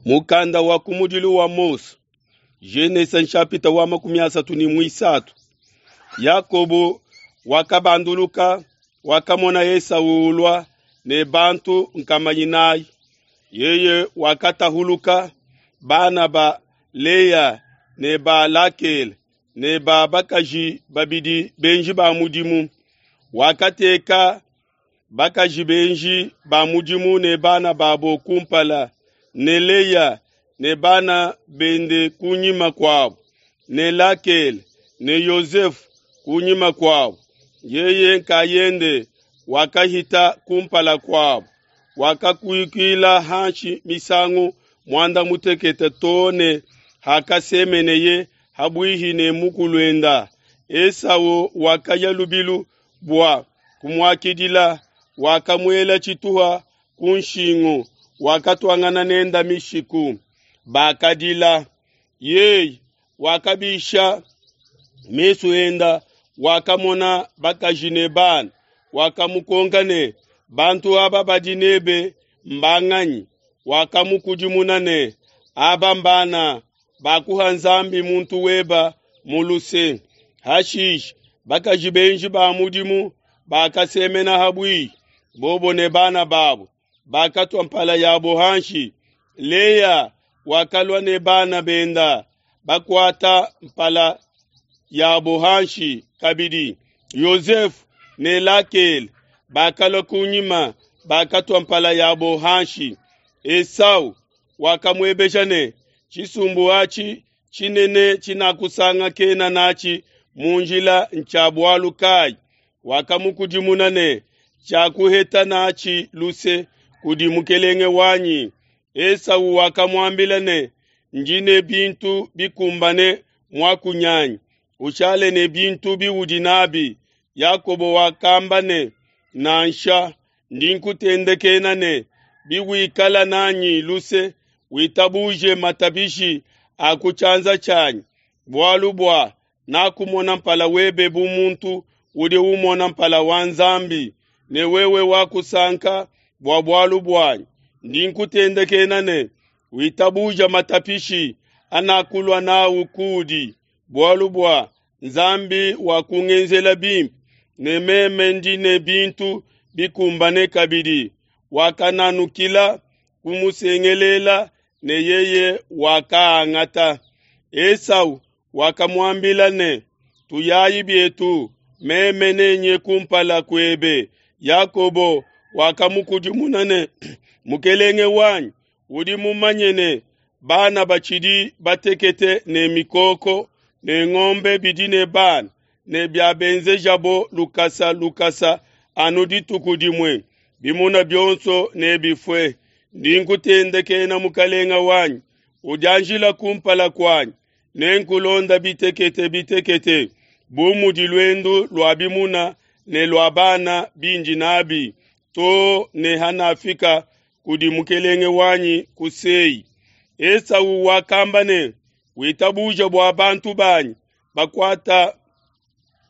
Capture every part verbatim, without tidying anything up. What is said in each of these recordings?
Mukanda wa kumudilu wa Mose, Genese nshapita wa makumi asatu ne muisatu. Yakobo wakabanduluka, wakamona Esau ulua ne bantu nkama inayi. Yeye wakatahuluka bana ba Leya ne ba Lakele ne ba bakaji babidi benji ba mudimu. Wakateka bakaji benji ba mudimu ne bana babo kumpala, ne Leya ne bana bende kunyima kuabo, ne Lakele ne Yosefe kunyima kuabo. Yeye nkayende wakahita kumpala kuabo, wakakuikila hanshi misangu muanda mutekete too ne hakasemeneye habuihi ne mukuluenda. Esau wakaya lubilu bua kumuakidila, wakamuela tshituha ku nshingu, wakatuangana nenda mishiku. Bakadila. Yeye wakabisha mesu enda, wakamona bakaji ne bana, wakamukonka ne, bantu aba badi nebe mbanganyi? Wakamukudimuna ne, aba mbana bakuha Nzambi muntu weba mu luse. Hashishe bakaji benji ba mudimu bakasemena habuihi, bobo ne bana babo, bakatua mpala yabo hanshi. Leya wakalua ne bana benda, bakuata mpala yabo hanshi kabidi. Yosefe ne Lakele bakalua kunyima, bakatua mpala yabo hanshi. Esau wakamuebeja ne, tshisumbu atshi tshinene tshinakusangakena natshi mu njila ntshia bualu kayi? Wakamukudimuna ne, tshiakuheta natshi luse kudi mukelenge wanyi. Esau wakamuambila ne, ndi ne bintu bikumbane muakunyanyi, ushale ne bintu biudi nabi. Yakobo wakamba ne, nansha, ndi nkutendekena ne, biwikala nanyi luse, witabuje matabishi a ku tshianza tshianyi, bualu bua nakumona mpala webe bu muntu udi umona mpala wa Nzambi, ne wewe wakusanka bua bualu buanyi. Ndi nkutendekena ne, witabuja matapishi anakulua nawu kudi, bualu bua Nzambi wakungenzela bimpe, ne meme ndi ne bintu bikumbane kabidi. Wakananukila kumusengelela, ne yeye wakaangata. Esau wakamuambila ne, tuyayi bietu, meme nenye kumpala kuebe. Yakobo wakamukudimuna ne, mukelenge wanyi, udi mumanye ne, bana batshidi batekete ne mikoko ne ngombe bidi ne bana, ne biabenzejabo lukasa lukasa anu dituku dimue, bimuna bionso nebifue. Ndi nkutendekena mukalenga wanyi, udianjila kumpala kuanyi, nenkulonda bitekete bitekete, bu mudi luendu lua bimuna ne lua bana bindi nabi, too ne hanafika kudi mukelenge wanyi ku Sei. Esau wakamba ne, witabuja bua bantu banyi bakuata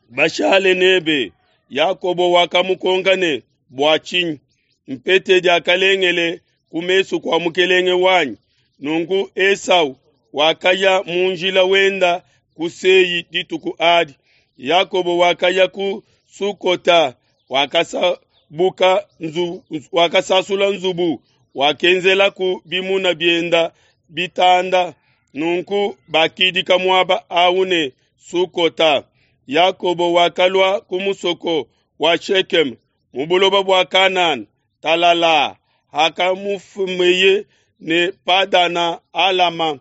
bashale nebe. Yakobo wakamukonka ne, bua tshinyi? Mpete diakalengele ku mesu kua mukelenge wanyi. Nunku Esau wakaya mu njila wenda ku Sei dituku adi. Yakobo wakaya ku Sukota, wakasabuka nzu, wakasasula nzubu, wakenzelaku bimuna bienda bitanda. Nunku bakidika muaba awu ne Sukota. Yakobo wakalua ku musoko wa Shekeme mu buloba bua Kanana talala, hakamufumeye ne Padana Alama.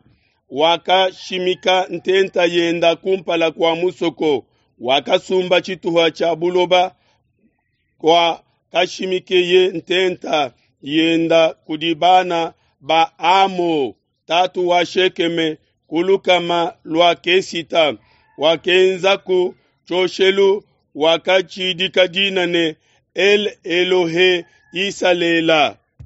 Wakashimika ntenta yenda kumpala kua musoko, wakasumba tshituha tshia buloba kwa kashimikeye ntenta yenda kudi bana ba Amo, tatu wa Shekeme, ku lukama lua Kesita. Wakenzaku tshioshelu, wakatshidika dina ne El Elohe Isalela.